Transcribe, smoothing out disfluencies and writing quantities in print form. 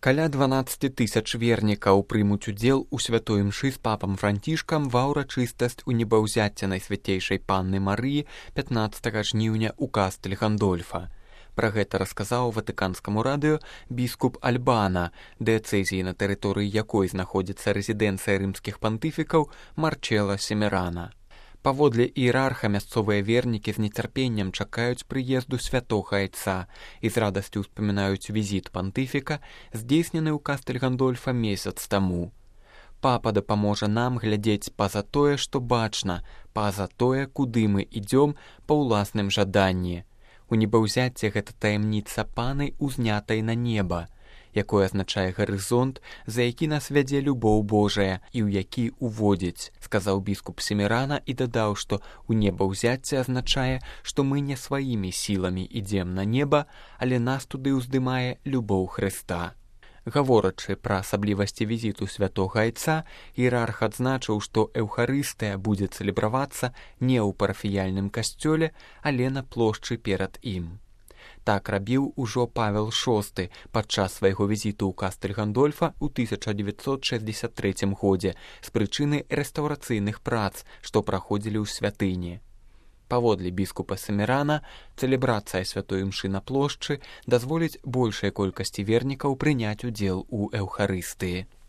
Каля 12 тысяч вернікаў прымуць удзел у святой імшы з папам Францішкам ва ўрачыстасць у небаўзяцця Найсвятейшай Панны Марыі 15 жніўня ў кастэль Гандольфа. Пра гэта расказаў Ватыканскаму радыё біскуп Альбана, дыяцэзіі, на тэрыторыі якой знаходзіцца рэзідэнцыя рымскіх пантыфікаў Марчела Семерана. Паводле іерарха мясцовыя вернікі з нецярпеннем чакаюць прыезду святога айца і з радасцю ўспамінаюць візіт пантыфіка, здзейснены ў кастэль Гандольфа месяц таму. Папа дапаможа нам глядзець па-за тое, што бачна, па-за тое, куды мы ідзём па ўласным жаданні. У небаўзяцце гэта таямніца паны, узнятай на неба, якое азначае гарызонт, за які нас вядзе любоў Божая і ў які уводзіць, сказаў біскуп Семерана і дадаў, што ў небаўзяцце азначае, што мы не сваімі сіламі ідзем на неба, але нас туды ўздымае любоў Хрыста. Гаворачы пра асаблівасці візіту святога айца, іерарх адзначыў, што эўхарыстыя будзе цэлебравацца не ў парафіяльным касцёле, але на плошчы перад ім. Так рабіў ужо Павел VI падчас свайго візіту ў кастэль Гандольфа ў 1963 годзе з прычыны рэстаўрацыйных прац, што праходзілі ў святыні. Паводле біскупа Семерана, цэлебрацыя святой імшы на плошчы дазволіць большай колькасці вернікаў прыняць удзел у эўхарыстыі.